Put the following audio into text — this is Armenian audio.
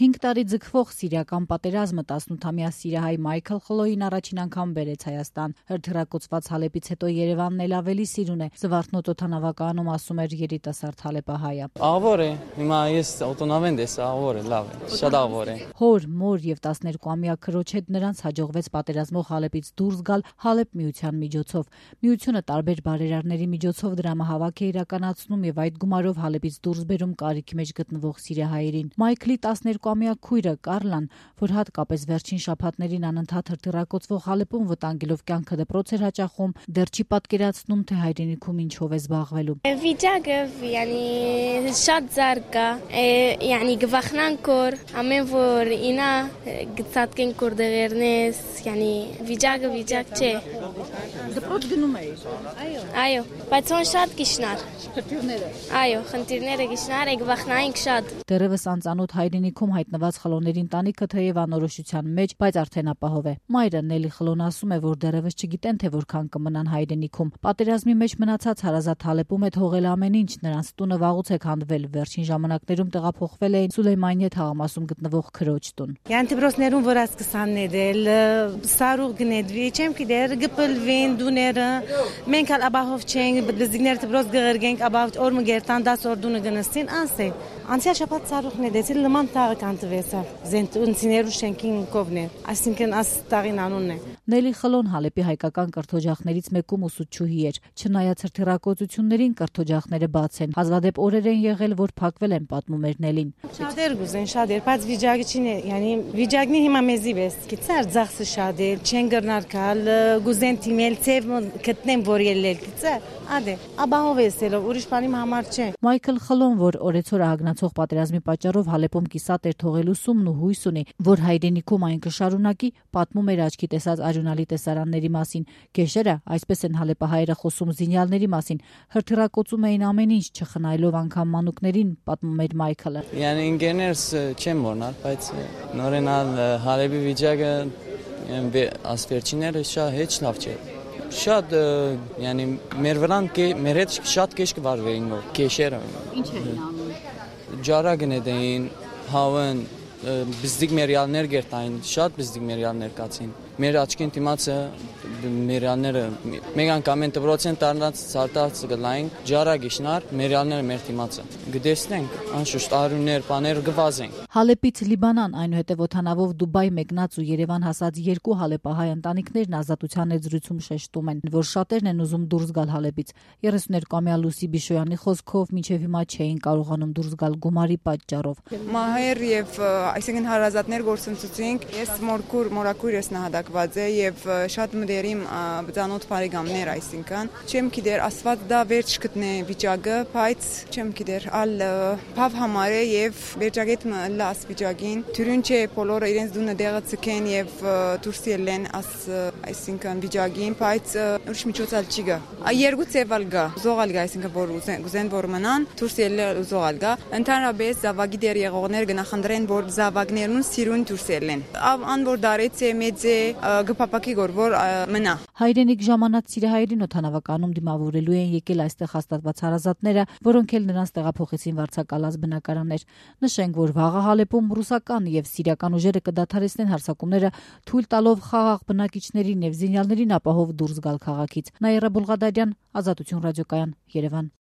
5 տարի ձգվող սիրիական պատերազմը 18-ամյա սիրիահայ Մայքլ Խլոյին առաջին անգամ բերեց Հայաստան։ Հրթիռակոծված Հալեպից հետո Երևանն էլ ավելի սիրուն է։ Զվարթնոտ օդանավակայանում ասում էր երիտասարդ հալեպահայը։ Աղվոր է, հիմա ես օտոնավենդ ես, աղվոր է, լավ է, շատ աղվոր է։ Հոր, մոր եւ 12-ամյա քրոջ հետ նրանց հաջողվեց պատերազմող Հալեպից դուրս գալ Հալեպ միության միջոցով։ Միությունը տարբեր բարերարների միջոցով դրամահավաք է իրականացնում եւ այդ գումարով Հալեպից դուրս բերում կարիքի մեջ գտնվող սիրիահայերին։ Մայքլի 12-ամյա քույրը Կարլան, որ հատկապես վերջին շաբաթներին անընդհատ հրթիռակոծվող Հալեպում վտանգելով կյանքը դպրոց էր հաճախում, դեռ չի պատկերացնում, թե հայրենիքում ինչով է զբաղվելու։ Վիճակը, շատ զարգ է, գվախնանք որ ամեն որ ինա գծածկեն կոր դեղերնես, վիճակը վիճակ չէ։ Դպրոց գնում էի։ Այո, բայց ոնց շատ գիշնար։ Խնդիրները։ Այո, խնդիրները գիշնար է գվախնայինք շատ։ Դեռևս անծանոթ հայրենիքում հայտնված Խլոների ընտանիքը թեև անորոշության մեջ, բայց արդեն ապահով է։ Մայրը Նելի Խլոն ասում է, որ դեռևս չգիտեն, թե որքան կմնան հայրենիքում։ Պատերազմի մեջ մնացած հարազատ Հալեպում է թողել ամեն ինչ, նրանց տունը վաղուց է քանդվել, վերջին ժամանակներում տեղափոխվել էին Սուլեյմանիե թաղամասում գտնվող քրոջ տուն։ Դպրոցներում որ ասկսան ներել, սարուղ գնեդվի, չեմ գիտեր, գպլվին դուները, մենք ալ ապահով չենք, դզիգներ դպրոց գղրգենք, ապահով օր մգերտան 10 օր դունը գնստին, անսե։ Անցյալ շաբաթ սարուղն է դեցել լման տաղը կանտվեցավ, զենտունցիներու շենքին կովներ, այսինքն աս տաղին անունն է։ Նելի Խլոն Հալեպի հայկական կրթօջախներից մեկում ուսուցչուհի էր։ Չնայած հրթիռակոծություններին կրթօջախները բաց են, հազվադեպ օրեր են եղել, որ փակվել են, պատմում էր Նելին։ Շատեր գուզեն, շատեր, բայց վիճակը չի, վիճակնի հիմա մեզի վես, գիծար ձախսը շատեր, չեն գրնար կալ, գուզեն թիմել ցև գտնեն որ ելել, գիծար, ադե, ապահով էսելով, ուրիշ բանի համար չէ։ Մայքլ Խլոն, որ օրեցօր ահագնացող պատերազմի պատճառով Հալեպում կիսատ էր թողելու սումն ու հույս ունի, որ հայրենիքում այն կշարունակի, պատմում էր աչքի տեսած արյունալի տեսարանների մասին։ Գեշերը, այսպես են հալեպահայերը խոսում զինյալների մասին, հրթիռակոծում էին ամեն ինչ, չխնայելով անգամ մանուկներին, պատմում էր Մայքլը։ Ինգեներս չեմ մոռանալ, բայց նորենալ Հալեպի վիճակը ասվերջիները շատ լավ չէ։ Շատ, մեր վրան մեր հետ շատ կեշ կվարվեին որ կեշերը։ Ինչ էին անում։ Ջարա գնեդեին, հավեն, բզդիկ մերյալներ գերտային, շատ բզդիկ մերյալներ կացին։ Մեր աչքին դիմացը մերյալները մեկ անգամ են դպրոցեն տարնած ցարտած գլային ջարա գիշնար մերյալները մեր դիմացը գտեսնենք անշուշտ արյուններ բաներ գվազենք։ Հալեպից Լիբանան, այնուհետև օդանավով Դուբայ մեկնած ու Երևան հասած 2 հալեպահայ ընտանիքներն ազատության եզրույթում շեշտում են, որ շատերն են ուզում դուրս գալ Հալեպից։ 32-ամյա Լուսի Բիշոյանի խոսքով մինչև հիմա չէին կարողանում դուրս գալ գումարի պատճառով։ Մահեր եւ այսինքն հարազատներ գործընծուցինք, ես մորակույր ես նահատակված է եւ շատ մտերիմ բծանոթ բարեկամներ, այսինքն չեմ գիտեր ասված դա վերջ գտնե վիճակը, բայց չեմ գիտեր ալ փավ համար է եւ վերջագետ լաս վիճակին թյուրին չէ բոլորը իրենց դունը դեղը ցկեն եւ դուրս ելեն այսինքն վիճակին, բայց ուրիշ միջոցալ չի գա։ Երկու ծևալ գա, զողալ գա, այսինքն որ ուզեն որ մնան, դուրս ելել զողալ գա։ Ընդհանրապես զավակի դեր եղողներ գնահանդրեն որ զավակներուն սիրուն դուրս ելեն։ Ան որ դարեց է մեծ է գփապակի որ մնա։ Հայրենիք ժամանած սիրիահայերին օդանավականում դիմավորելու են եկել այստեղ հաստատված հարազատները, որոնք էլ նրանց տեղափոխեցին վարձակալած բնակարաններ։ Նշենք, որ վաղը Հալեպում ռուսական եւ սիրիական ուժերը կդադարեցնեն հարձակումները, թույլ տալով խաղաղ բնակիչներին եւ զինյալներին ապահով դուրս գալ քաղաքից։ Նաիրա Բուլղադարյան, Ազատություն ռադիոկայան, Երևան։